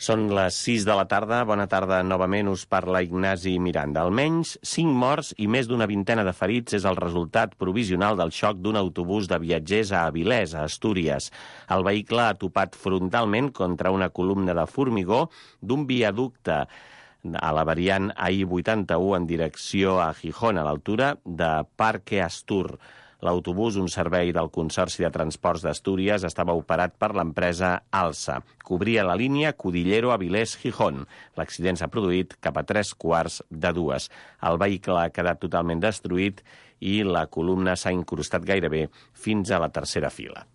Són les 6 de la tarda. Bona tarda novament. Us parla Ignasi Miranda. Almenys 5 morts i més d'una vintena de ferits és el resultat provisional del xoc d'un autobús de viatgers a Avilés, a Astúries. El vehicle ha topat frontalment contra una columna de formigó d'un viaducte a la variant AI-81 en direcció a Gijón, a l'altura de Parque Astur. L'autobús, un servei del Consorci de Transports d'Astúries, estava operat per l'empresa Alsa. Cobria la línia Cudillero-Avilés-Gijón. L'accident s'ha produït cap a 3:45. El vehicle ha quedat totalment destruït i la columna s'ha incrustat gairebé fins a la tercera fila.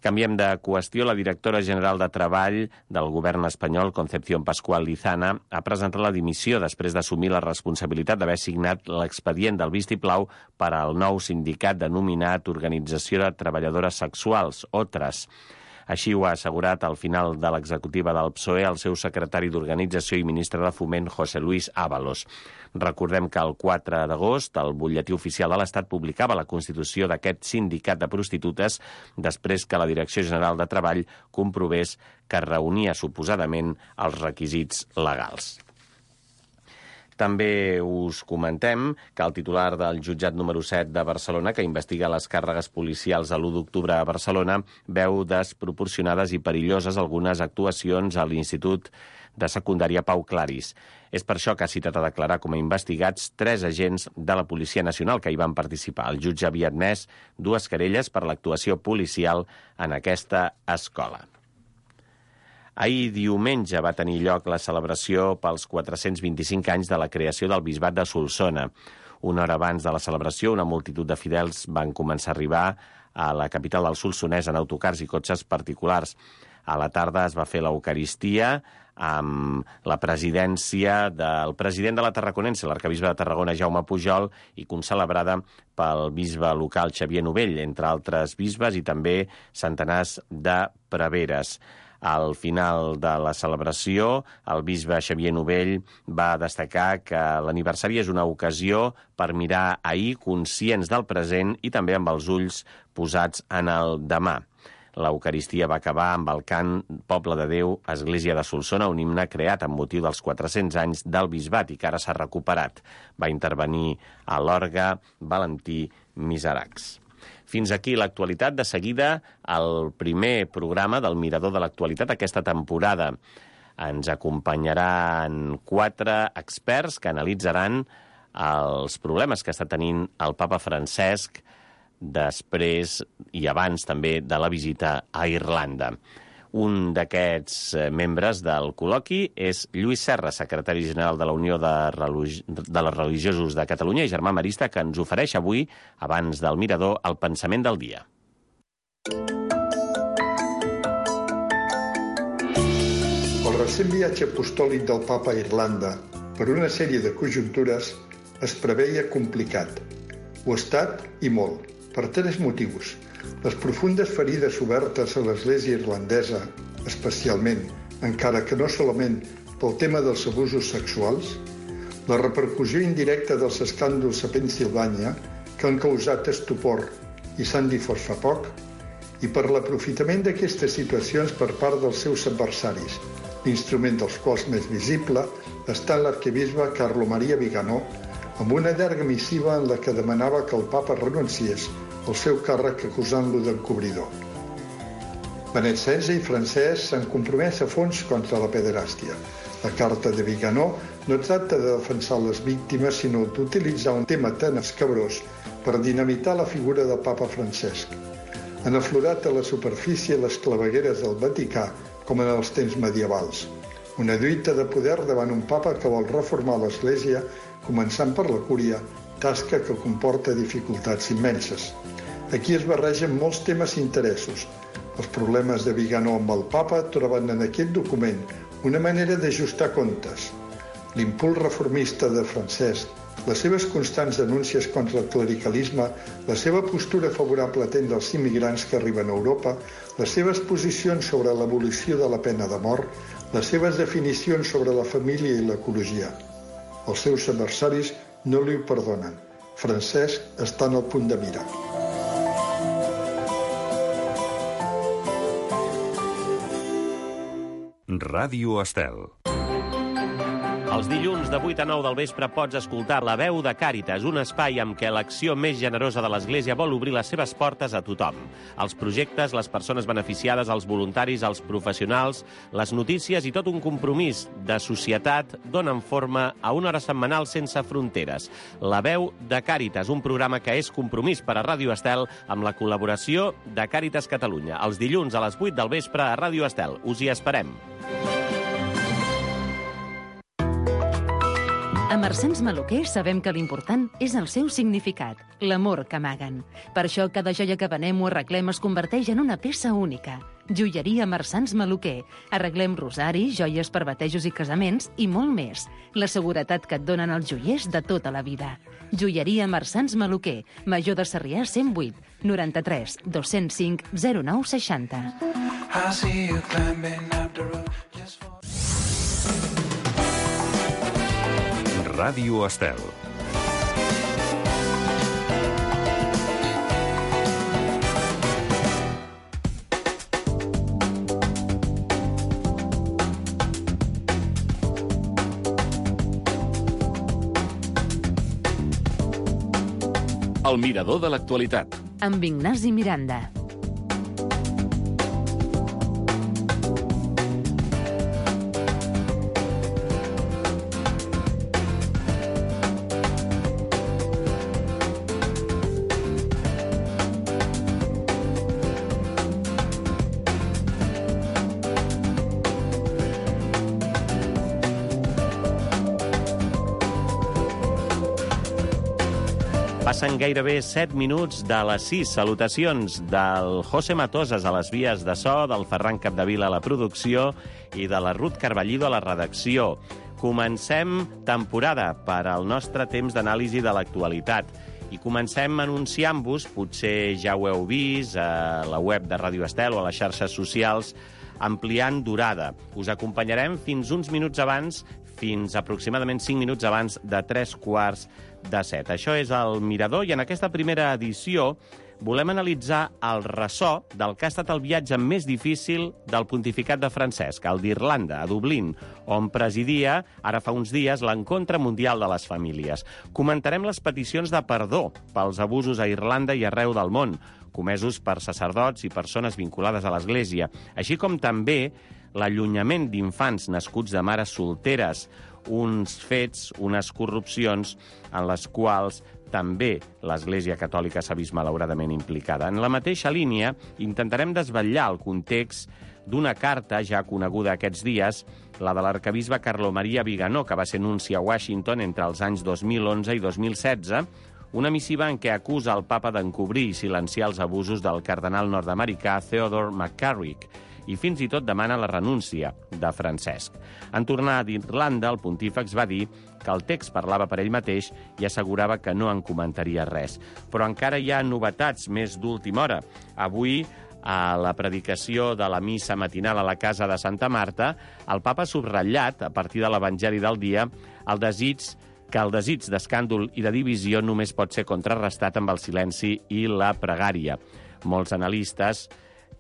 Canviem de qüestió. La directora general de Treball del govern espanyol, Concepción Pascual Lizana, ha presentat la dimissió després d'assumir la responsabilitat d'haver signat l'expedient del vistiplau per al nou sindicat denominat Organització de Treballadores Sexuals, OTRAS. Així ho ha assegurat al final de l'executiva del PSOE el seu secretari d'Organització i ministre de Foment, José Luis Ábalos. Recordem que el 4 d'agost el butlletí oficial de l'Estat publicava la constitució d'aquest sindicat de prostitutes després que la Direcció General de Treball comprovés que reunia suposadament els requisits legals. També us comentem que el titular del jutjat número 7 de Barcelona, que investiga les càrregues policials a l'1 d'octubre a Barcelona, veu desproporcionades i perilloses algunes actuacions a l'Institut de Secundària Pau Claris. És per això que ha citat a declarar com a investigats 3 agents de la Policia Nacional que hi van participar. El jutge havia admès 2 querelles per l'actuació policial en aquesta escola. Ahir diumenge va tenir lloc la celebració pels 425 anys de la creació del Bisbat de Solsona. Una hora abans de la celebració, una multitud de fidels van començar a arribar a la capital del Solsonès en autocars i cotxes particulars. A la tarda es va fer l'Eucaristia amb la presidència del president de la Tarraconense, l'arquebisbe de Tarragona, Jaume Pujol, i concelebrada pel bisbe local Xavier Novell, entre altres bisbes, i també centenars de preveres. Al final de la celebració, el bisbe Xavier Novell va destacar que l'aniversari és una ocasió per mirar ahir conscients del present i també amb els ulls posats en el demà. L'Eucaristia va acabar amb el cant Poble de Déu, Església de Solsona, un himne creat amb motiu dels 400 anys del bisbat i que ara s'ha recuperat. Va intervenir a l'orgue Valentí Miseracs. Fins aquí l'actualitat. De seguida, el primer programa del Mirador de l'Actualitat aquesta temporada. Ens acompanyaran 4 experts que analitzaran els problemes que està tenint el papa Francesc després i abans també de la visita a Irlanda. Un d'aquests membres del col·loqui és Lluís Serra, secretari general de la Unió de les Religiosos de Catalunya i germà marista, que ens ofereix avui, abans del Mirador, el pensament del dia. El recent viatge apostòlic del papa a Irlanda, per una sèrie de conjuntures, es preveia complicat. Ho ha estat i molt, per 3 motius. Les profundes ferides obertes a l'Església irlandesa, especialment, encara que no solament pel tema dels abusos sexuals, la repercussió indirecta dels escàndols a Pennsilvània, que han causat estupor i s'han difós fa poc, i per l'aprofitament d'aquestes situacions per part dels seus adversaris, l'instrument dels quals més visible està l'arquebisbe Carlo Maria Viganò, amb una llarga missiva en la que demanava que el papa renunciés al seu càrrec acusant-lo d'encobridor. Benet XVI i Francesc s'han compromès a fons contra la pederàstia. La carta de Viganò no tracta de defensar les víctimes, sinó d'utilitzar un tema tan escabrós per dinamitar la figura del papa Francesc. Han aflorat a la superfície les clavegueres del Vaticà com en els temps medievals. Una lluita de poder davant un papa que vol reformar l'Església, començant per la cúria, tasca que comporta dificultats immenses. Aquí es barregen molts temes i interessos. Els problemes de Viganò amb el papa troben en aquest document una manera d'ajustar comptes. L'impuls reformista de Francesc, les seves constants denúncies contra el clericalisme, la seva postura favorable a atendre els immigrants que arriben a Europa, les seves posicions sobre l'abolició de la pena de mort, les seves definicions sobre la família i l'ecologia. Els seus adversaris no li ho perdonen. Francesc està en el punt de mira. Ràdio Estel. Els dilluns de 8 a 9 del vespre pots escoltar La veu de Càritas, un espai amb què l'acció més generosa de l'Església vol obrir les seves portes a tothom. Els projectes, les persones beneficiades, els voluntaris, els professionals, les notícies i tot un compromís de societat donen forma a una hora setmanal sense fronteres. La veu de Càritas, un programa que és compromís per a Ràdio Estel amb la col·laboració de Càritas Catalunya. Els dilluns a les 8 del vespre a Ràdio Estel. Us hi esperem. A Marsans Maluquer sabem que l'important és el seu significat, l'amor que amaguen. Per això cada joia que venem o arreglem es converteix en una peça única. Joieria Marsans Maluquer. Arreglem rosaris, joies per batejos i casaments i molt més. La seguretat que et donen els joiers de tota la vida. Joieria Marsans Maluquer. Major de Sarrià 108 93 205 09 60. Ràdio Estel. El mirador de l'actualitat. Amb Ignasi Miranda. Passen gairebé 7 minuts de les 6. Salutacions del José Matosas a les vies de so, del Ferran Capdevila a la producció i de la Ruth Carballido a la redacció. Comencem temporada per al nostre temps d'anàlisi de l'actualitat. I comencem anunciant-vos, potser ja ho heu vist, a la web de Ràdio Estel o a les xarxes socials, ampliant durada. Us acompanyarem fins uns minuts abans, fins aproximadament 5 minuts abans de 3:15. Això és el Mirador i en aquesta primera edició volem analitzar el ressò del que ha estat el viatge més difícil del pontificat de Francesc, el d'Irlanda, a Dublín, on presidia, ara fa uns dies, l'Encontre Mundial de les Famílies. Comentarem les peticions de perdó pels abusos a Irlanda i arreu del món, comesos per sacerdots i persones vinculades a l'Església, així com també l'allunyament d'infants nascuts de mares solteres, uns fets, unes corrupcions en les quals també l'Església Catòlica s'ha vist malauradament implicada. En la mateixa línia, intentarem desvetllar el context d'una carta ja coneguda aquests dies, la de l'arcabisbe Carlo Maria Viganò, que va ser nunci a Washington entre els anys 2011 i 2016, una missiva en què acusa el papa d'encobrir i silenciar els abusos del cardenal nord-americà Theodore McCarrick, i fins i tot demana la renúncia de Francesc. En tornar d'Irlanda, el pontífex va dir que el text parlava per ell mateix i assegurava que no en comentaria res. Però encara hi ha novetats més d'última hora. Avui, a la predicació de la missa matinal a la casa de Santa Marta, el papa ha subratllat, a partir de l'Evangeli del dia, el desig d'escàndol i de divisió només pot ser contrarrestat amb el silenci i la pregària. Molts analistes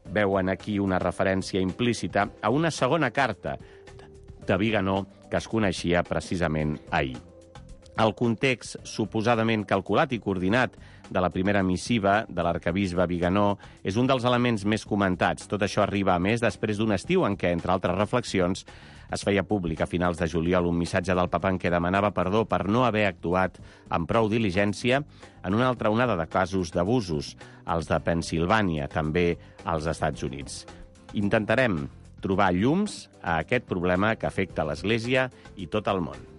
veuen aquí una referència implícita a una segona carta de Viganò que es coneixia precisament ahir. El context suposadament calculat i coordinat de la primera missiva de l'arcabisbe Viganò és un dels elements més comentats. Tot això arriba, a més, després d'un estiu en què, entre altres reflexions, es feia públic a finals de juliol un missatge del papa en què demanava perdó per no haver actuat amb prou diligència en una altra onada de casos d'abusos, els de Pennsilvània, també als Estats Units. Intentarem trobar llums a aquest problema que afecta l'Església i tot el món.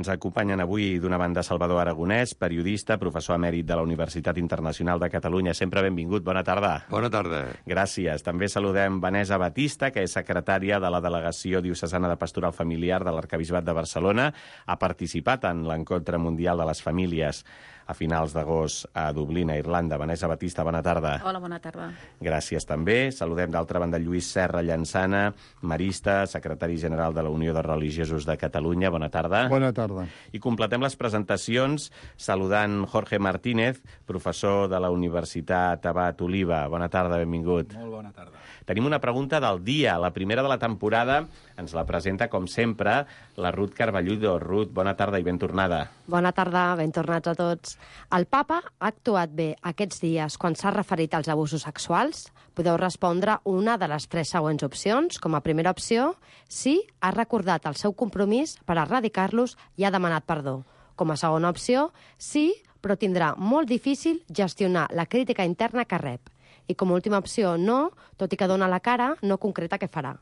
Ens acompanyen avui d'una banda Salvador Aragonès, periodista, professor emèrit de la Universitat Internacional de Catalunya. Sempre benvingut, bona tarda. Bona tarda. Gràcies. També saludem Vanessa Batista, que és secretària de la Delegació Diocesana de Pastoral Familiar de l'Arquebisbat de Barcelona. Ha participat en l'Encontre Mundial de les Famílies a finals d'agost a Dublín, a Irlanda. Vanessa Batista, bona tarda. Hola, bona tarda. Gràcies també. Saludem d'altra banda Lluís Serra Llançana, marista, secretari general de la Unió de Religiosos de Catalunya. Bona tarda. Bona tarda. I completem les presentacions saludant Jorge Martínez, professor de la Universitat Abat Oliba. Bona tarda, benvingut. Molt bona tarda. Tenim una pregunta del dia, la primera de la temporada. Ens la presenta, com sempre, la Ruth Carballudo. Ruth, bona tarda i ben tornada. Bona tarda, ben tornats a tots. El papa ha actuat bé aquests dies quan s'ha referit als abusos sexuals? Podeu respondre una de les 3 següents opcions. Com a primera opció, sí, ha recordat el seu compromís per erradicar-los i ha demanat perdó. Com a segona opció, sí, però tindrà molt difícil gestionar la crítica interna que rep. I com a última opció, no, tot i que dona la cara, no concreta què farà.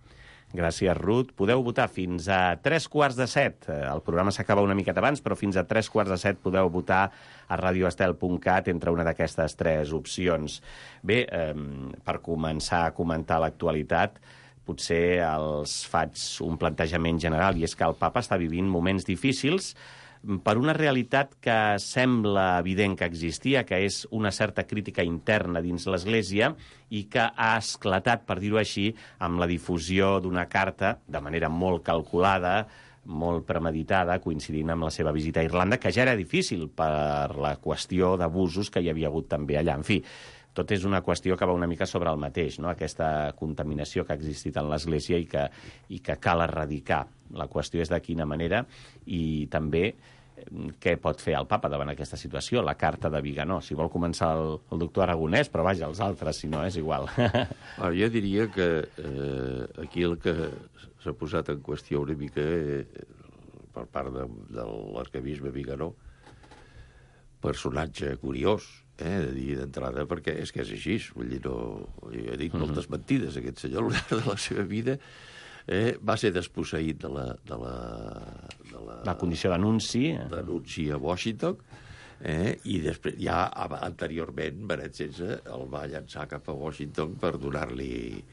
Gràcies, Ruth. Podeu votar fins a 3:15. El programa s'acaba una miqueta abans, però fins a 3:15 podeu votar a radioestel.cat entre una d'aquestes 3 opcions. Bé, per començar a comentar l'actualitat, potser els faig un plantejament general, i és que el papa està vivint moments difícils per una realitat que sembla evident que existia, que és una certa crítica interna dins l'Església i que ha esclatat, per dir-ho així, amb la difusió d'una carta de manera molt calculada, molt premeditada, coincidint amb la seva visita a Irlanda, que ja era difícil per la qüestió d'abusos que hi havia hagut també allà. En fi, tot és una qüestió que va una mica sobre el mateix, no? Aquesta contaminació que ha existit en l'Església i que cal erradicar. La qüestió és de quina manera i també què pot fer el papa davant aquesta situació, la carta de Viganò. Si vol començar el doctor Aragonès, però vaja, els altres, si no, és igual. Jo diria que aquí el que s'ha posat en qüestió una mica per part de l'arquebisbe Viganò, personatge curiós, de dir d'entrada, perquè és que és així. Vull dir, he dit moltes mentides, aquest senyor, al llarg de la seva vida. Va ser desposseït de la condició d'anunci. D'anunci a Washington, i després, ja anteriorment, Benet XVI el va llançar cap a Washington per donar-li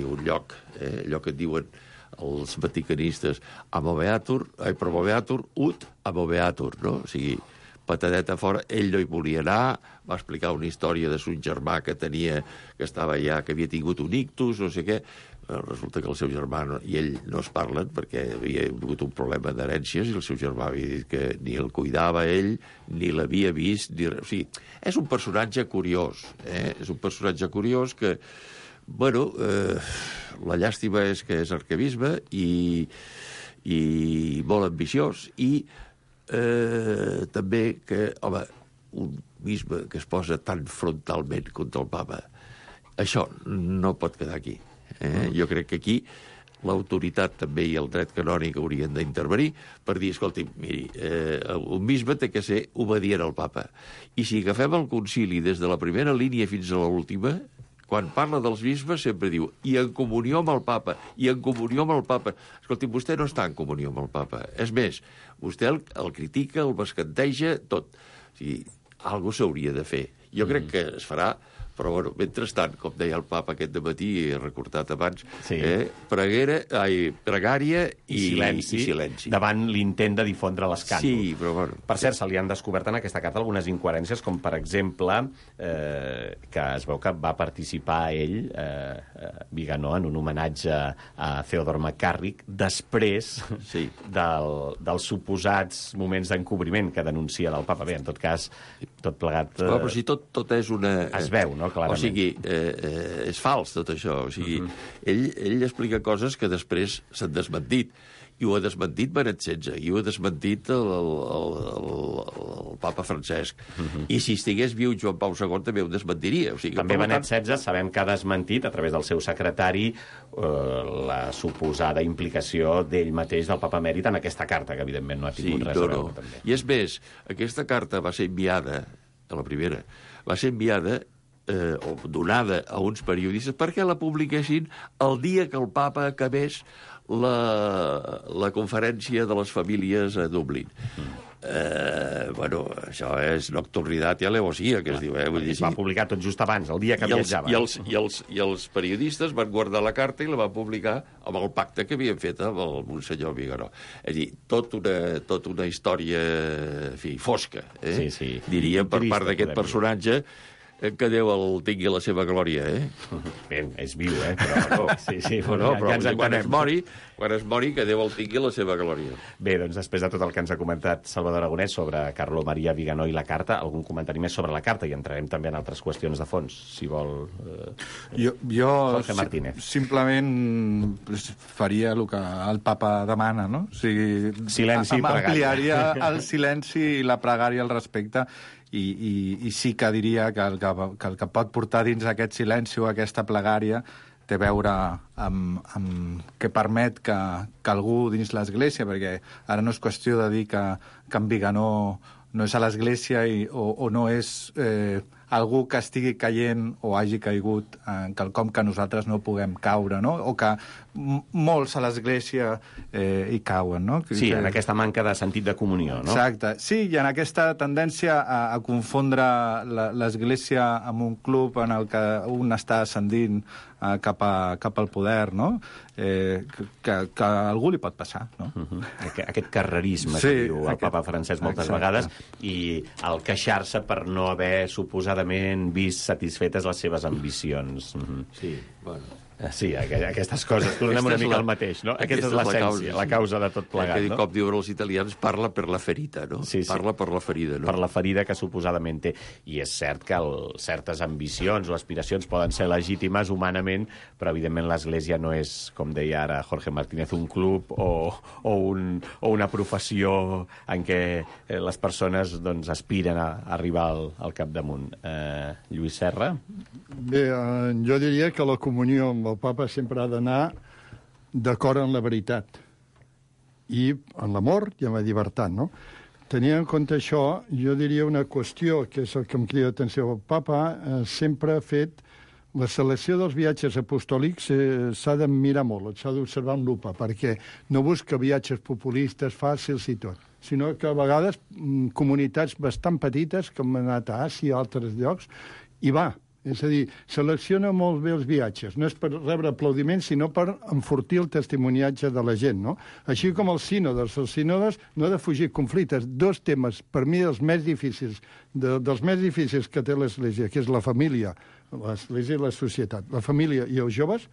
un lloc, allò que diuen els vaticanistes, promoveatur ut amoveatur, no? O sigui, patadeta fora, ell no hi volia anar, va explicar una història de son germà que estava allà, que havia tingut un ictus, no sé què. Resulta que el seu germà i ell no es parlen perquè havia hagut un problema d'herències i el seu germà havia dit que ni el cuidava ell, ni l'havia vist, ni res. O sigui, és un personatge curiós, és un personatge curiós que, bueno, la llàstima és que és arquebisbe i molt ambiciós i també que, home, un bisbe que es posa tan frontalment contra el papa, això no pot quedar aquí. Jo crec que aquí l'autoritat també i el dret canònic haurien d'intervenir per dir, escolti, miri, un bisbe té que ser obedient al papa. I si agafem el concili des de la primera línia fins a l'última, quan parla dels bisbes sempre diu i en comunió amb el papa, i en comunió amb el papa. Escolti, vostè no està en comunió amb el papa. És més, vostè el critica, el bescanteja, tot. O sigui, alguna cosa s'hauria de fer. Jo crec que es farà, però, bueno, mentrestant, com deia el papa aquest dematí, he recordat abans, pregària i silenci. Davant l'intent de difondre l'escàndol. Sí, però, bueno... Per cert, se li han descobert en aquesta carta algunes incoherències, com, per exemple, que es veu que va participar ell, Viganò, en un homenatge a Theodore McCarrick, després dels suposats moments d'encobriment que denuncia del papa. Bé, en tot cas, tot plegat... Però si tot és una... Es veu, no? Clarament. O sigui, és fals tot això. O sigui, ell explica coses que després s'han desmentit. I ho ha desmentit Benet XVI, i ho ha desmentit el papa Francesc. I si estigués viu Joan Pau II també ho desmentiria. O sigui, també Benet XVI sabem que ha desmentit, a través del seu secretari, la suposada implicació d'ell mateix, del papa emèrit, en aquesta carta, que evidentment no ha tingut res a veure. També. I és més, aquesta carta va ser enviada, a la primera, va ser enviada o donada a uns periodistes perquè la publiquessin el dia que el papa acabés la conferència de les famílies a Dublín. bueno, això és nocturnitat i alevosía, que es diu, vull dir, es va publicar tot just abans, el dia que viatjava. I els periodistes van guardar la carta i la van publicar amb el pacte que havien fet amb el Monsenyor Viganó. És a dir, tot una història, en fi, fosca, Sí. diríem, per part d'aquest personatge, que Déu el tingui la seva glòria, Bé, és viu, però però ja ens entenem. quan es mori, que Déu el tingui la seva glòria. Bé, doncs després de tot el que ens ha comentat Salvador Aragonès sobre Carlo Maria Viganó i la carta, algun comentari més sobre la carta, i entrarem també en altres qüestions de fons, si vol Jo Jorge Martínez. simplement faria el que el papa demana, no? O sigui, Silenci i pregària. ampliaria el silenci i la pregària al respecte, i sí que diria que el que pot portar dins aquest silenci o aquesta plegària té a veure amb que permet que algú dins l'Església, perquè ara no és qüestió de dir que en Viganó no és a l'Església o no és algú que estigui caient o hagi caigut en quelcom que nosaltres no puguem caure, no? O que molts a l'Església hi cauen, no? Sí, en aquesta manca de sentit de comunió, no? Exacte. Sí, i en aquesta tendència a confondre l'Església amb un club en el que un està ascendint cap al poder, no? Que a algú li pot passar, no? Aquest carrerisme que diu el papa Francesc moltes vegades, i el queixar-se per no haver suposadament vist satisfetes les seves ambicions. Sí, bueno... Sí, aquestes coses. Tornem una mica al mateix, no? Aquesta és l'essència, la causa de tot plegat, no? Com diuen els italians, parla per la ferita, no? Sí. Parla per la ferida, no? Per la ferida que suposadament té. I és cert que certes ambicions o aspiracions poden ser legítimes humanament, però evidentment l'Església no és, com deia ara Jorge Martínez, un club o una professió en què les persones doncs, aspiren a arribar al capdamunt. Lluís Serra? Bé, jo diria que la comunió amb el papa sempre ha d'anar d'acord amb la veritat i en l'amor i amb la llibertat, no? Tenint en compte això, jo diria una qüestió, que és el que em crida l'atenció. El papa sempre ha fet la selecció dels viatges apostòlics s'ha de mirar molt, s'ha d'observar amb lupa, perquè no busca viatges populistes fàcils i tot, sinó que a vegades comunitats bastant petites, com han anat a Àsia i altres llocs, hi va. És a dir, selecciona molt bé els viatges. No és per rebre aplaudiments, sinó per enfortir el testimoniatge de la gent, no? Així com els sínodes. Els sínodes no ha de fugir conflictes. Dos temes, per mi, dels més difícils que té l'Església, que és la família, l'Església i la societat. La família i els joves...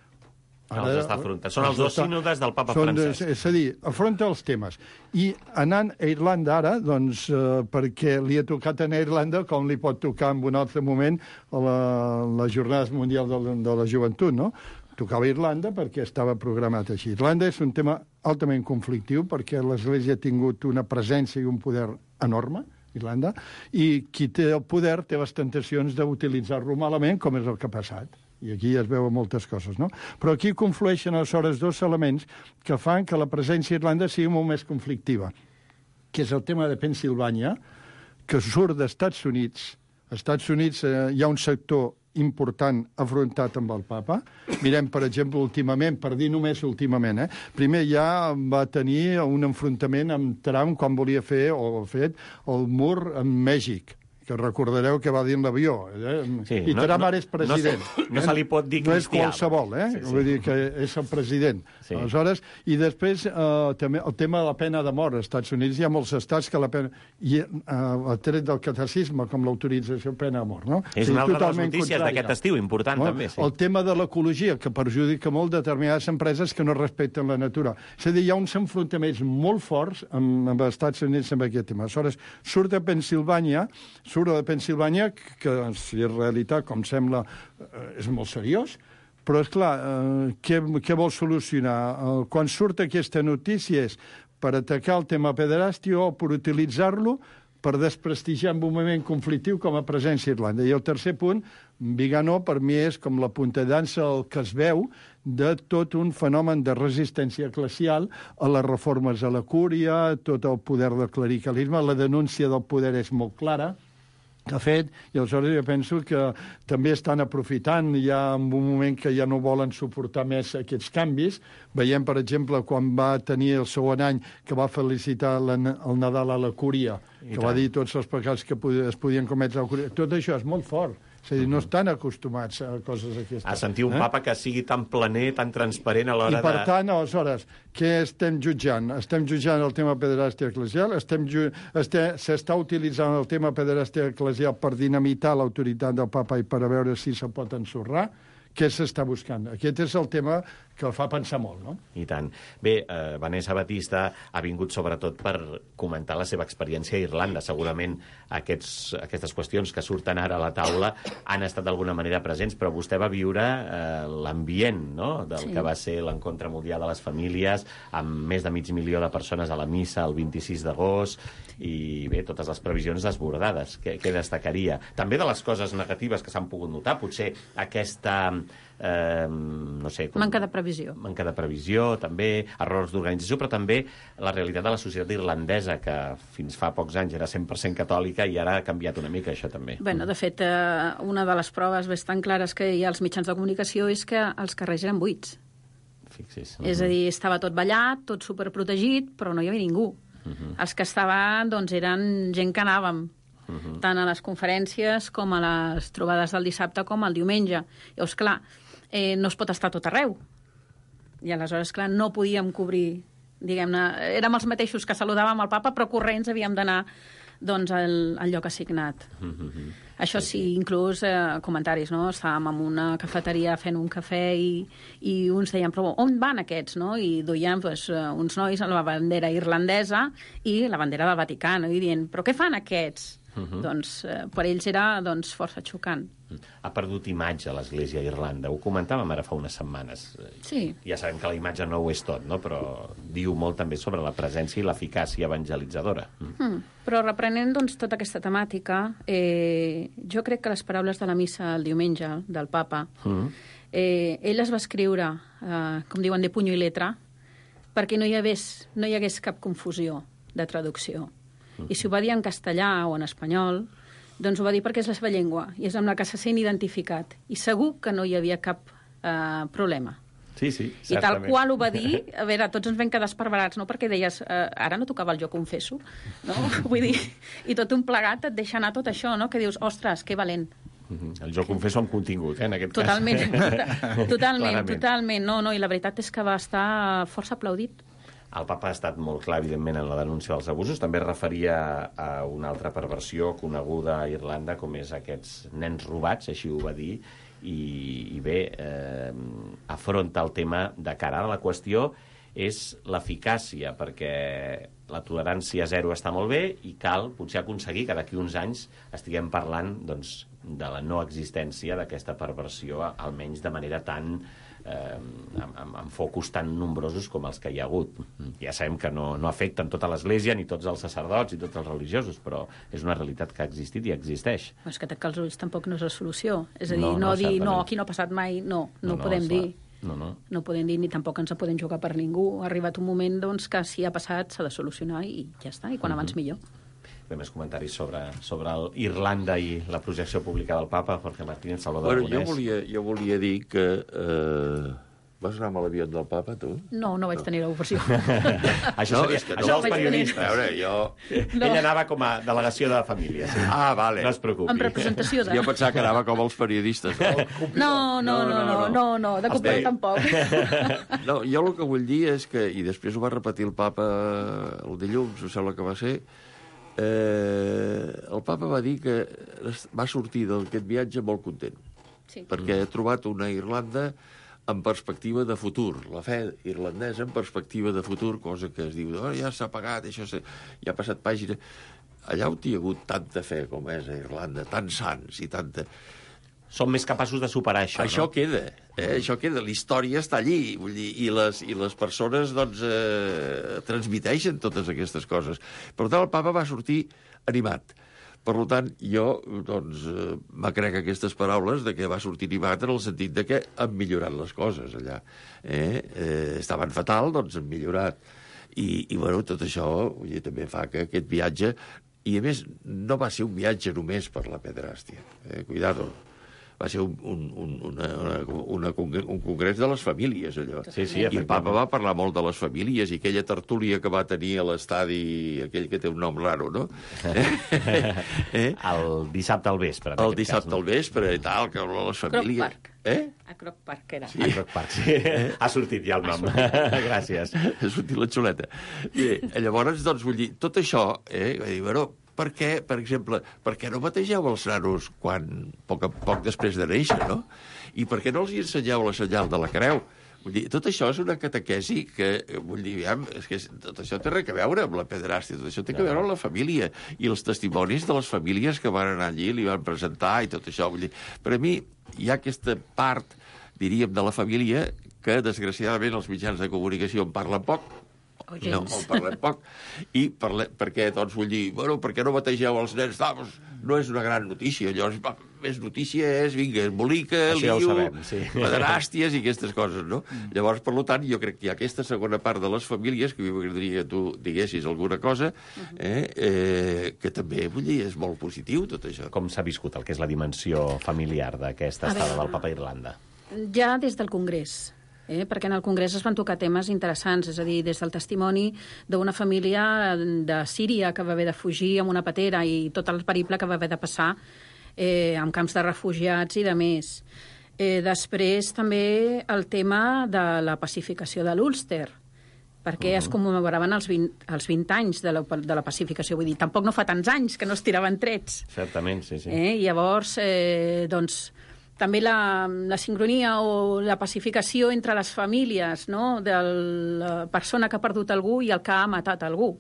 Són els dos sínodes del papa Francesc. És a dir, afronta els temes. I anant a Irlanda ara, doncs, perquè li ha tocat anar a Irlanda, com li pot tocar en un altre moment a la Jornada Mundial de la Joventut, no? Tocava Irlanda perquè estava programat així. Irlanda és un tema altament conflictiu perquè l'Església ha tingut una presència i un poder enorme, Irlanda, i qui té el poder té les tentacions d'utilitzar-lo malament, com és el que ha passat. I aquí es veuen moltes coses, no? Però aquí conflueixen aleshores dos elements que fan que la presència a Irlanda sigui molt més conflictiva, que és el tema de Pennsilvània, que surt d'Estats Units. Als Estats Units hi ha un sector important afrontat amb el papa. Mirem, per exemple, últimament, per dir només últimament, primer ja va tenir un enfrontament amb Trump quan volia fer, o ha fet, el mur amb Mèxic, que recordareu que va dir en l'avió. Sí, I Trump ara és president. No se li pot dir cristià. No és qualsevol, Sí. Vull dir que és el president. Sí. Aleshores, i després també el tema de la pena de mort. Als Estats Units hi ha molts estats que la pena... I el tret del catecisme, com l'autorització de pena de mort, no? És una altra de les notícies d'aquest estiu, important també. Sí. El tema de l'ecologia, que perjudica molt determinades empreses que no respecten la natura. És a dir, hi ha uns enfrontaments molt forts amb els Estats Units amb aquest tema. Aleshores, surt de Pennsilvània, que si és realitat, com sembla, és molt seriós, però, esclar, què vol solucionar? Quan surt aquesta notícia és per atacar el tema pederàstia o per utilitzar-lo per desprestigiar un moviment conflictiu com a presència a Irlanda. I el tercer punt, Viganó, per mi és com la punta de llança el que es veu de tot un fenomen de resistència eclesial a les reformes a la cúria, tot el poder del clericalisme, la denúncia del poder és molt clara, que ha fet, i aleshores jo penso que també estan aprofitant ja en un moment que ja no volen suportar més aquests canvis. Veiem, per exemple, quan va tenir el segon any que va felicitar el Nadal a la Cúria, que va dir tots els pecats que es podien cometre a la Cúria. Tot això és molt fort. És a dir, no estan acostumats a coses aquestes. A sentir un papa que sigui tan planer, tan transparent a l'hora de... I, per tant, aleshores, què estem jutjant? Estem jutjant el tema pederàstia eclesial? S'està utilitzant el tema pederàstia eclesial per dinamitar l'autoritat del papa i per a veure si se pot ensorrar? Què s'està buscant? Aquest és el tema que el fa pensar molt, no? I tant. Bé, Vanessa Batista ha vingut sobretot per comentar la seva experiència a Irlanda. Segurament aquestes qüestions que surten ara a la taula han estat d'alguna manera presents, però vostè va viure l'ambient, no?, del que va ser l'encontre mundial de les famílies, amb més de 500.000 de persones a la missa el 26 d'agost, i bé, totes les previsions desbordades. Què destacaria? També de les coses negatives que s'han pogut notar, potser aquesta... no sé... Manca de previsió. Manca de previsió, també, errors d'organització, però també la realitat de la societat irlandesa, que fins fa pocs anys era 100% catòlica i ara ha canviat una mica, això també. Bueno, de fet, una de les proves bastant clares que hi ha als mitjans de comunicació és que els carrers eren buits. Fixis. És a dir, estava tot ballat, tot superprotegit, però no hi havia ningú. Els que estaven, doncs, eren gent que anàvem, tant a les conferències com a les trobades del dissabte com al diumenge. Llavors, clar, no es pot estar tot arreu. I aleshores, clar, no podíem cobrir, diguem-ne, érem els mateixos que saludàvem el papa, però corrents havíem d'anar, doncs, al lloc assignat. Això sí, inclús comentaris, no? Estàvem en una cafeteria fent un cafè i uns deien, però on van aquests, no? I duien uns nois amb la bandera irlandesa i la bandera del Vaticà, no? I dient, però què fan aquests? Doncs per ells era força xocant. Ha perdut imatge a l'Església a Irlanda. Ho comentàvem ara fa unes setmanes. Sí. Ja sabem que la imatge no ho és tot, no? Però diu molt també sobre la presència i l'eficàcia evangelitzadora. Però reprenent tota aquesta temàtica, jo crec que les paraules de la missa el diumenge del papa, ell les va escriure, com diuen, de puny i letra, perquè no hi hagués cap confusió de traducció. I si ho va dir en castellà o en espanyol, doncs ho va dir perquè és la seva llengua i és amb la que se sent identificat. I segur que no hi havia cap problema. Sí, certament. I tal qual ho va dir, a veure, tots ens vam quedar esparverats, no? Perquè deies, ara no tocava el jo confesso, no? Vull dir, i tot un plegat et deixa anar tot això, no? Que dius, ostres, que valent. El jo confesso amb contingut, en aquest totalment, cas. Totalment. No, i la veritat és que va estar força aplaudit. El papa ha estat molt clar, evidentment, en la denúncia dels abusos. També es referia a una altra perversió coneguda a Irlanda, com és aquests nens robats, així ho va dir, i bé, afronta el tema de cara. Ara la qüestió és l'eficàcia, perquè la tolerància zero està molt bé i cal potser aconseguir que d'aquí uns anys estiguem parlant de la no existència d'aquesta perversió, almenys de manera tan... amb focus tan nombrosos com els que hi ha hagut. Ja sabem que no afecten tota l'Església, ni tots els sacerdots i tots els religiosos, però és una realitat que ha existit i existeix. És que tancar els ulls tampoc no és la solució. És a dir, no dir, no, aquí no ha passat mai, no ho podem dir. No podem dir, ni tampoc ens podem jugar per ningú. Ha arribat un moment que si ha passat s'ha de solucionar i ja està, i quan abans millor. Bé, més comentaris sobre Irlanda i la projecció pública del papa, Jorge Martínez, Salvador Aragonès. Jo volia dir que... Vas anar amb l'avió del papa, tu? No vaig tenir l'ocasió. Això els periodistes. A veure, jo... Ell anava com a delegació de família. Sí. Vale. No es preocupi. En representació de... Jo pensava que anava com els periodistes. No, de copet tampoc. No, jo el que vull dir és que, i després ho va repetir el papa el dilluns, em sembla que va ser, el papa va dir que va sortir d'aquest viatge molt content, perquè ha trobat una Irlanda en perspectiva de futur, la fe irlandesa en perspectiva de futur, cosa que es diu, ja s'ha pagat, això ja ha passat pàgina. Allà on hi ha hagut tanta fe com és a Irlanda, tants sants i tanta... Som més capaços de superar això, no? Queda, això queda, la història està allí, vull dir, i les persones, transmiteixen totes aquestes coses. Per tant, el papa va sortir animat. Per tant, jo, m'acrec aquestes paraules de que va sortir animat en el sentit de que han millorat les coses allà. Estaven fatal, han millorat. I bueno, tot això també fa que aquest viatge I, a més, no va ser un viatge només per la pederàstia. Cuidado. Va ser un congrés de les famílies, allò. Sí, I el papa va parlar molt de les famílies i aquella tertúlia que va tenir a l'estadi, aquell que té un nom raro, no? El dissabte al vespre. El dissabte al vespre i tal, que les famílies... Croc Park. A Croc Park era. Sí. A Croc Park, sí. Ha sortit ja el nom. Gràcies. Ha sortit la xuleta. Bé, llavors, doncs, vull dir, tot això, va dir, bueno, per què, per exemple, per què no bategeu els nanos poc després de néixer, no? I per què no els ensenyeu la senyal de la creu? Vull dir, tot això és una catequesi que, vull dir, és que tot això té res a veure amb la pederàstia, tot això té a veure amb la família i els testimonis de les famílies que van anar allí, li van presentar i tot això. Vull dir, per a mi hi ha aquesta part, diríem, de la família que, desgraciadament, els mitjans de comunicació en parlen poc, no, en parlem poc, i perquè, doncs, vull dir, bueno, per què no bategeu els nens? No és una gran notícia, llavors, més notícia és, vinga, embolica, lío, pederàsties i aquestes coses, no? Llavors, per tant, jo crec que hi ha aquesta segona part de les famílies, que m'agradaria que tu diguessis alguna cosa, que també, vull dir, és molt positiu, tot això. Com s'ha viscut el que és la dimensió familiar d'aquesta estada del Papa a Irlanda? Ja des del Congrés. Perquè en el Congrés es van tocar temes interessants, és a dir, des del testimoni d'una família de Síria que va haver de fugir amb una patera i tot el periple que va haver de passar en camps de refugiats i de més. Després també el tema de la pacificació de l'Ulster, perquè es commemoraven els 20 anys de la pacificació. Vull dir, tampoc no fa tants anys que no es tiraven trets. Certament, sí. Llavors, doncs, també la sincronia o la pacificació entre les famílies, no?, de la persona que ha perdut algú i el que ha matat algú.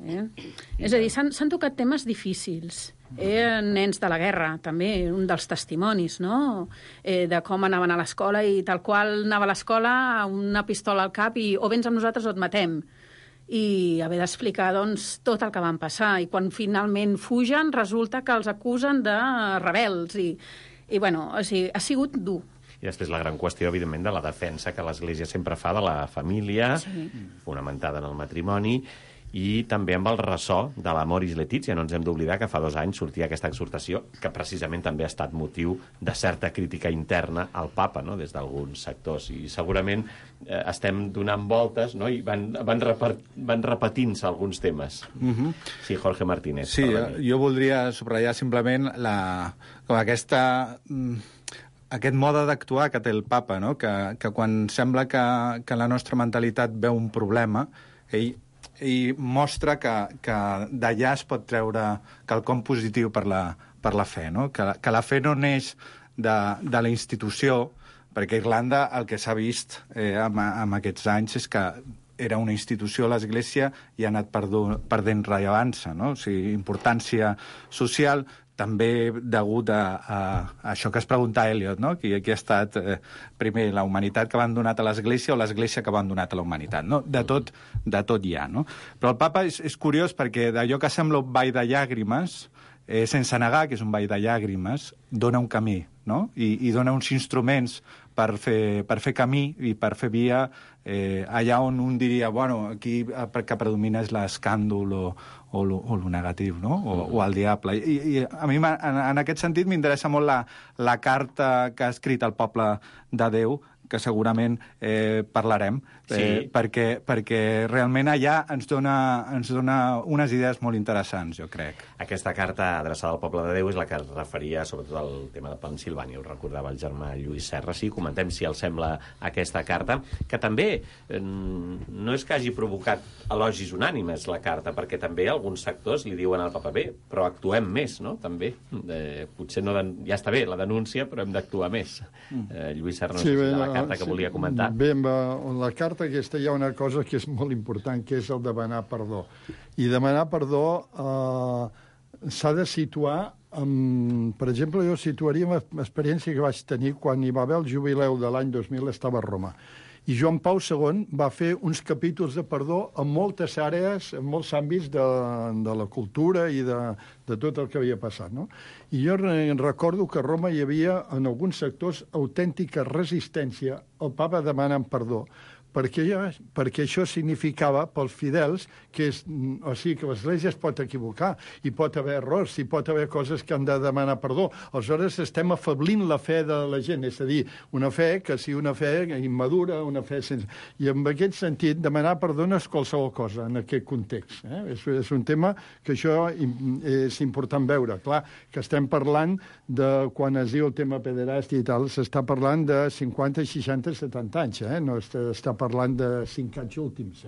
És a dir, s'han tocat temes difícils. Nens de la guerra, també, un dels testimonis, no?, de com anaven a l'escola i tal qual anava a l'escola amb una pistola al cap i o vens amb nosaltres o et matem. I haver d'explicar, doncs, tot el que van passar. I quan finalment fugen, resulta que els acusen de rebels i bueno, o sigui, ha sigut dur. I després la gran qüestió, evidentment, de la defensa que l'Església sempre fa de la família, fonamentada en el matrimoni, i també amb el ressò de l'Amoris Laetitia. No ens hem d'oblidar que fa 2 anys sortia aquesta exhortació, que precisament també ha estat motiu de certa crítica interna al papa, no?, des d'alguns sectors. I segurament estem donant voltes, no?, i van repetint-se alguns temes. Sí, Jorge Martínez. Sí, jo voldria subratllar simplement com aquest mode d'actuar que té el papa, no?, que quan sembla que la nostra mentalitat veu un problema, ell mostra que d'allà es pot treure quelcom positiu per la fe, no? Que la fe no neix de la institució, perquè Irlanda el que s'ha vist amb aquests anys és que era una institució, l'Església, i ha anat perdent rellevància, no? O sigui, importància social, també degut a això que es pregunta Eliot, no?, qui ha estat primer la humanitat que van donat a l'Església o l'Església que van donat a la humanitat, no? De tot hi ha, no? Però el papa és curiós perquè d'allò que sembla un ball de llàgrimes, sense negar que és un ball de llàgrimes, dona un camí, no? I dona uns instruments per fer camí i per fer via allà on un diria, bueno, aquí que predomina és l'escàndol o lo negatiu, no?, o el diable. I a mi, en aquest sentit, m'interessa molt la carta que ha escrit el poble de Déu, que segurament parlarem, perquè realment allà ens dona unes idees molt interessants, jo crec. Aquesta carta adreçada al poble de Déu és la que es referia sobretot al tema de Pensilvània, ho recordava el germà Lluís Serra. Sí, comentem si els sembla aquesta carta, que també no és que hagi provocat elogis unànimes la carta, perquè també alguns sectors li diuen al papa, bé, però actuem més, no?, també. Potser no ja està bé la denúncia, però hem d'actuar més. Lluís Serra, no sé si de la carta que volia comentar. Bé, en la carta aquesta hi ha una cosa que és molt important, que és el demanar perdó. I demanar perdó s'ha de situar, per exemple, jo situaria l'experiència que vaig tenir quan hi va haver el jubileu de l'any 2000, estava a Roma. I Joan Pau II va fer uns capítols de perdó en moltes àrees, en molts àmbits de la cultura i de tot el que havia passat, no? I jo recordo que a Roma hi havia, en alguns sectors, autèntica resistència al papa demanant perdó, perquè això significava pels fidels que que l'Església es pot equivocar, hi pot haver errors, hi pot haver coses que han de demanar perdó. Aleshores estem afablint la fe de la gent, és a dir, una fe que sigui una fe immadura, una fe sense... I en aquest sentit, demanar perdó no és qualsevol cosa en aquest context. És un tema que això és important veure. Clar, que estem parlant de, quan es diu el tema pederàstia i tal, s'està parlant de 50, 60, 70 anys, no està parlant de 5 anys últims.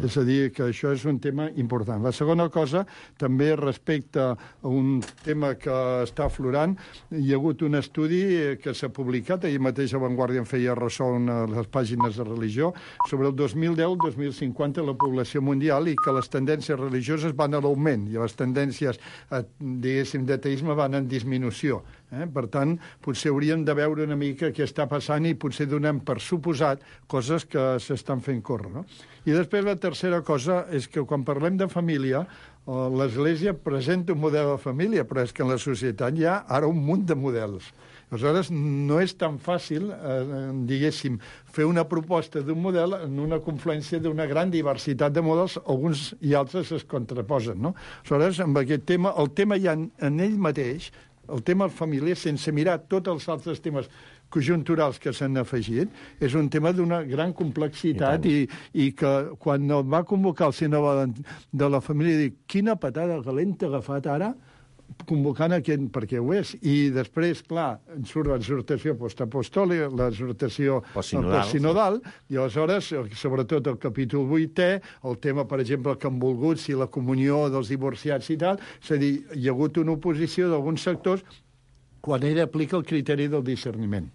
És a dir, que això és un tema important. La segona cosa, també respecte a un tema que està aflorant, hi ha hagut un estudi que s'ha publicat, ahir mateix a Vanguardia en feia ressò en les pàgines de religió, sobre el 2010-2050 la població mundial i que les tendències religioses van a l'augment i les tendències, diguéssim, d'ateisme van en disminució. Per tant, potser hauríem de veure una mica què està passant i potser donem per suposat coses que s'estan fent córrer. No? I després la tercera cosa és que quan parlem de família, l'Església presenta un model de família, però és que en la societat hi ha ara un munt de models. Aleshores, no és tan fàcil, diguéssim, fer una proposta d'un model en una confluència d'una gran diversitat de models, alguns i altres es contraposen. No? Aleshores, amb aquest tema, el tema ja en ell mateix, el tema de família, sense mirar tots els altres temes conjunturals que s'han afegit, és un tema d'una gran complexitat i que quan el va convocar el Sínode de la Família, dic, quina patada calenta ha agafat ara, convocant aquest, perquè ho és. I després, clar, surt l'exhortació postapostòlica, l'exhortació postsinodal, i aleshores, sobretot el capítol 8è, el tema, per exemple, que han volgut, si la comunió dels divorciats i tal, és a dir, hi ha hagut una oposició d'alguns sectors quan ell aplica el criteri del discerniment.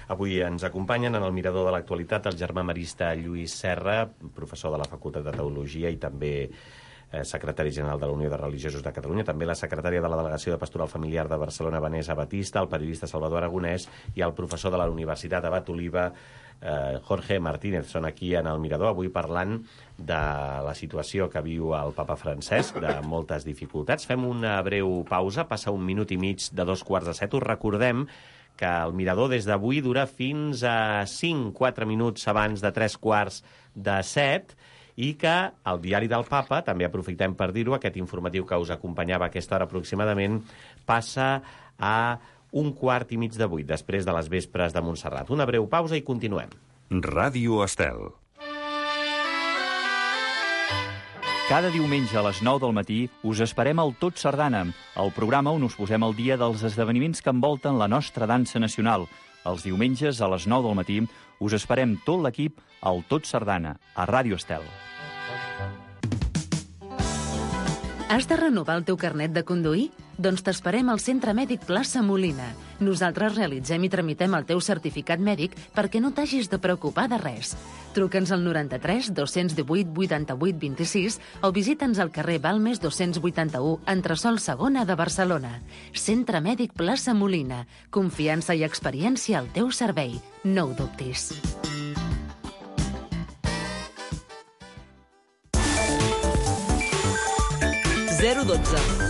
Avui ens acompanyen en el Mirador de l'Actualitat el germà marista Lluís Serra, professor de la Facultat de Teologia i també secretari general de la Unió de Religiosos de Catalunya, també la secretària de la Delegació de Pastoral Familiar de Barcelona, Vanessa Batista, el periodista Salvador Aragonès i el professor de la Universitat Abat Oliba, Jorge Martínez. Són aquí en el Mirador, avui parlant de la situació que viu el papa Francesc, de moltes dificultats. Fem una breu pausa, passa 1 minut i mig de 2:45. Us recordem que el Mirador des d'avui dura fins a 5-4 minuts abans de 3:45 i que el Diari del Papa, també aprofitem per dir-ho, aquest informatiu que us acompanyava a aquesta hora aproximadament, passa a 7:15, després de les vespres de Montserrat. Una breu pausa i continuem. Ràdio Estel. Cada diumenge a les 9 del matí us esperem al Tot Sardana, el programa on us posem al dia dels esdeveniments que envolten la nostra dansa nacional. Els diumenges a les 9 del matí us esperem tot l'equip al Tot Sardana, a Ràdio Estel. Has de renovar el teu carnet de conduir? Doncs t'esperem al Centre Mèdic Plaça Molina. Nosaltres realitzem i tramitem el teu certificat mèdic perquè no t'hagis de preocupar de res. Truca'ns al 93 218 88 26 o visita'ns al carrer Balmes 281, entresòl segona de Barcelona. Centre Mèdic Plaça Molina. Confiança i experiència al teu servei. No ho dubtis.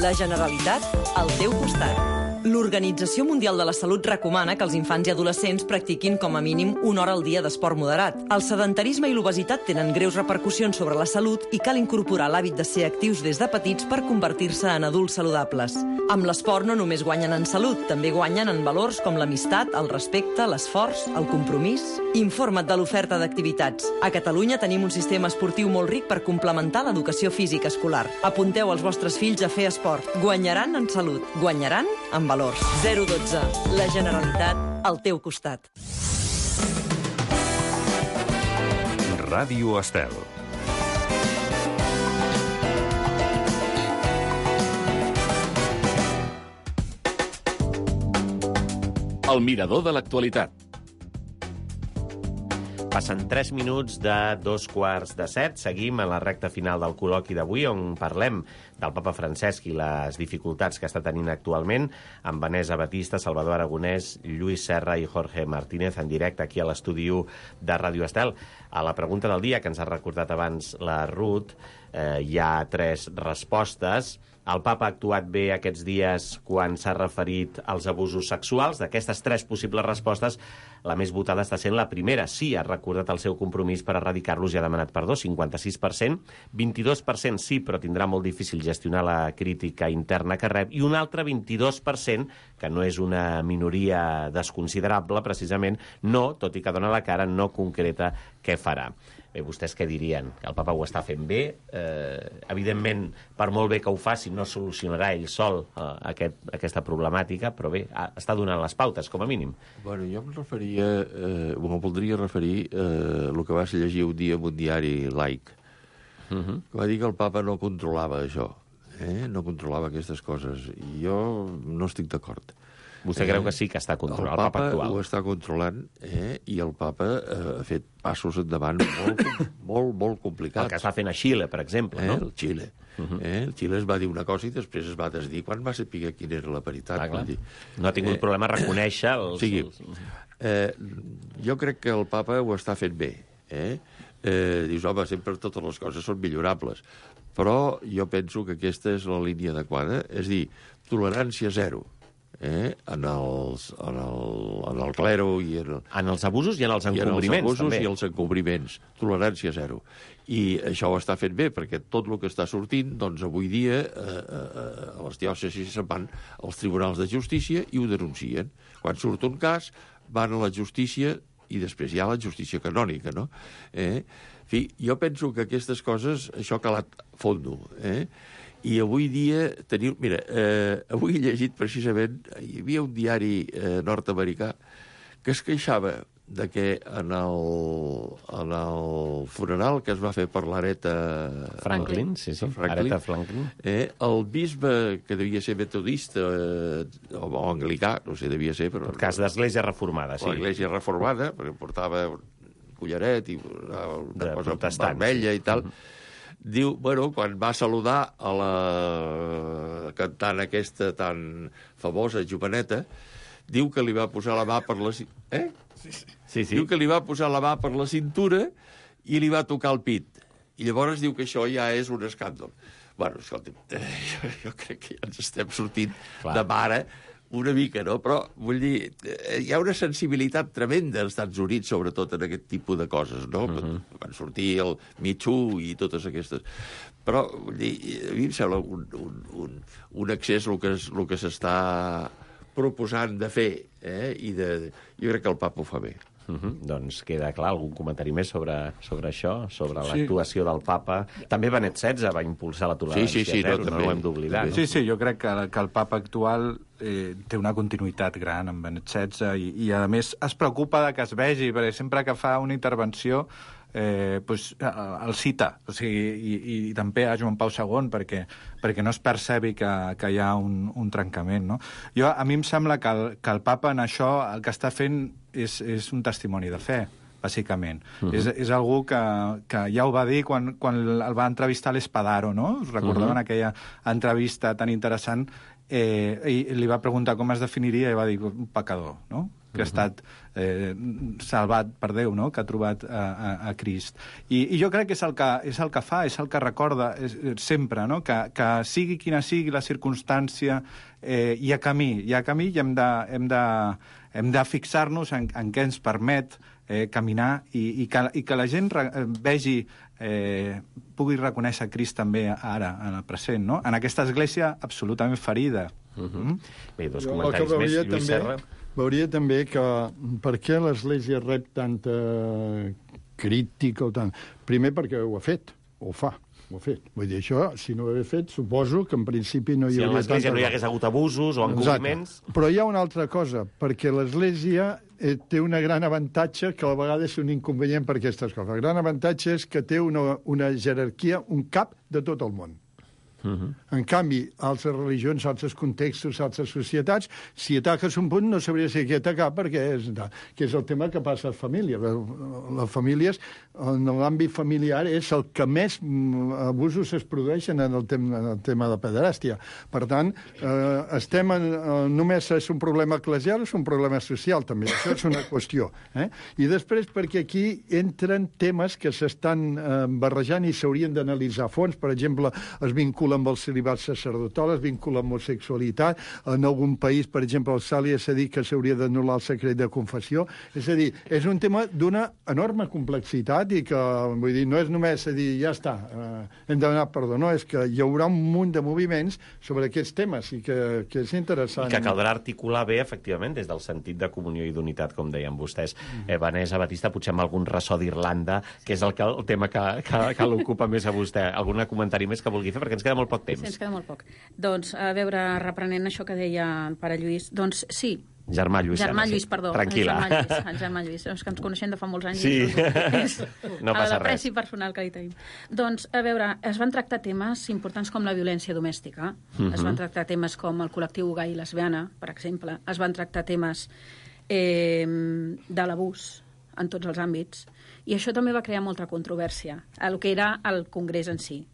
La Generalitat al teu costat. L'Organització Mundial de la Salut recomana que els infants i adolescents practiquin com a mínim 1 hora al dia d'esport moderat. El sedentarisme i l'obesitat tenen greus repercussions sobre la salut i cal incorporar l'hàbit de ser actius des de petits per convertir-se en adults saludables. Amb l'esport no només guanyen en salut, també guanyen en valors com l'amistat, el respecte, l'esforç, el compromís. Informa't de l'oferta d'activitats. A Catalunya tenim un sistema esportiu molt ric per complementar l'educació física escolar. Apunteu els vostres fills a fer esport. Guanyaran en salut, guanyaran en valors. 012. La Generalitat al teu costat. Ràdio Estel. El Mirador de l'Actualitat. Passen 3 minuts de 2:15. Seguim en la recta final del col·loqui d'avui, on parlem del papa Francesc i les dificultats que està tenint actualment, amb Vanessa Batista, Salvador Aragonès, Lluís Serra i Jorge Martínez en directe aquí a l'estudi 1 de Ràdio Estel. A la pregunta del dia, que ens ha recordat abans la Ruth, hi ha 3 respostes. El papa ha actuat bé aquests dies quan s'ha referit als abusos sexuals. D'aquestes 3 possibles respostes, la més votada està sent la primera. Sí, ha recordat el seu compromís per erradicar-los i ha demanat perdó, 56%. 22% sí, però tindrà molt difícil gestionar la crítica interna que rep. I un altre 22%, que no és una minoria desconsiderable, precisament, no, tot i que dona la cara, no concreta què farà. Bé, vostès què dirien? Que el papa ho està fent bé? Evidentment, per molt bé que ho faci, no solucionarà ell sol aquesta problemàtica, però bé, està donant les pautes, com a mínim. Bueno, jo em voldria referir el que vas llegir un dia en un diari laic, que va dir que el papa no controlava això, no controlava aquestes coses. I jo no estic d'acord. Vostè creu que sí que està controlant el papa actual? Ho està controlant, i el papa ha fet passos endavant molt complicats. El que està fent a Xile, per exemple, no? El Xile. El Xile es va dir una cosa i després es va desdir quan va saber quina era la veritat. No ha tingut problema a reconèixer els... Jo crec que el papa ho està fent bé. Dius, home, sempre totes les coses són millorables. Però jo penso que aquesta és la línia adequada. És dir, tolerància zero. En el clero i en els abusos i en els encobriments, també. I els encobriments. Tolerància zero. I això ho està fent bé, perquè tot el que està sortint, doncs avui dia a les diòcesis se'n van als tribunals de justícia i ho denuncien. Quan surt un cas, van a la justícia i després hi ha la justícia canònica, no? En fi, jo penso que aquestes coses, això ha calat fondo, i avui dia teniu... Mira, avui he llegit precisament... Hi havia un diari nord-americà que es queixava de que en el funeral que es va fer per l'Aretha Franklin, Aretha Franklin, el bisbe, que devia ser metodista o anglicà, no sé, devia ser... En cas d'església reformada, sí. L'església reformada, perquè portava un collaret i una cosa vermella i tal... Diu, bueno, quan va saludar a la cantant aquesta tan famosa, joveneta, diu que li va posar la mà per la... Sí. Diu que li va posar la mà per la cintura i li va tocar el pit. I llavors diu que això ja és un escàndol. Bueno, escolta, jo crec que ja ens estem sortint de mare una mica, no? Però, vull dir, hi ha una sensibilitat tremenda als Estats Units, sobretot en aquest tipus de coses, no? Van sortir el Me Too i totes aquestes. Però, vull dir, a mi em sembla un excés el que s'està proposant de fer, jo crec que el papa ho fa bé. Doncs queda clar. Algun comentari més sobre això, sobre l'actuació del papa? També Benet XVI va impulsar la tolerància zero, no ho hem d'oblidar. Sí, jo crec que el papa actual té una continuïtat gran amb Benet XVI i a més es preocupa que es vegi, perquè sempre que fa una intervenció el cita, o sigui, i també a Joan Pau II perquè no es percebi que hi ha un trencament, no? A mi em sembla que el papa en això el que està fent és un testimoni de fe, bàsicament. És algú que ja ho va dir quan el va entrevistar l'Espadaro, no? Us recordaven aquella entrevista tan interessant, i li va preguntar com es definiria i va dir un pecador, no? Que ha estat salvat per Déu, no? Que ha trobat a Crist. I jo crec que és el que fa, és el que recorda sempre, no? Que sigui quina sigui la circumstància, hi ha camí i hem de fixar-nos en què ens permet caminar i que la gent vegi, pugui reconèixer Crist també ara, en el present, no? En aquesta església absolutament ferida. Bé, dos comentaris més, Lluís Serra. Veuria també que per què l'Església rep tanta crítica o tant? Primer perquè ho ha fet, ho fa. Vull dir, això, si no ho hagués fet, suposo que en principi no hi hauria... Si en l'Església no hi hagués hagut abusos o encobriments... Però hi ha una altra cosa, perquè l'Església té un gran avantatge que a la vegada és un inconvenient per aquestes coses. El gran avantatge és que té una jerarquia, un cap de tot el món. En canvi, altres religions, altres contextos, altres societats, si ataques un punt no sabria si aquí atacar perquè és el tema que passa a les famílies. Les famílies, en l'àmbit familiar, és el que més abusos es produeixen en el tema de pederàstia. Per tant, només és un problema eclesial, és un problema social, també. Això és una qüestió. I després, perquè aquí entren temes que s'estan barrejant i s'haurien d'analitzar a fons. Per exemple, es vincula amb el celibat sacerdotal, es vincula amb l'homosexualitat. En algun país, per exemple, al Sàlia s'ha dit que s'hauria d'anul·lar el secret de confessió. És a dir, és un tema d'una enorme complexitat i que, vull dir, no és només dir, ja està, hem demanat perdó, no, és que hi haurà un munt de moviments sobre aquests temes i que és interessant. I que caldrà articular bé, efectivament, des del sentit de comunió i d'unitat, com deien vostès. Vanessa Batista, potser amb algun ressò d'Irlanda, que és el tema que l'ocupa més a vostè. Algun comentari més que vulgui fer, perquè ens queda molt poc temps. Sí, ens queda molt poc. Doncs, a veure, reprenent això que deia el pare Lluís, doncs sí. Germà Lluís, perdó. Tranquil·la. El germà Lluís. És que ens coneixem de fa molts anys. Sí, no passa res. L'apreci personal que li tenim. Doncs, a veure, es van tractar temes importants com la violència domèstica, es van tractar temes com el col·lectiu gai i lesbiana, per exemple, es van tractar temes de l'abús en tots els àmbits, i això també va crear molta controvèrsia, el que era el Congrés en si.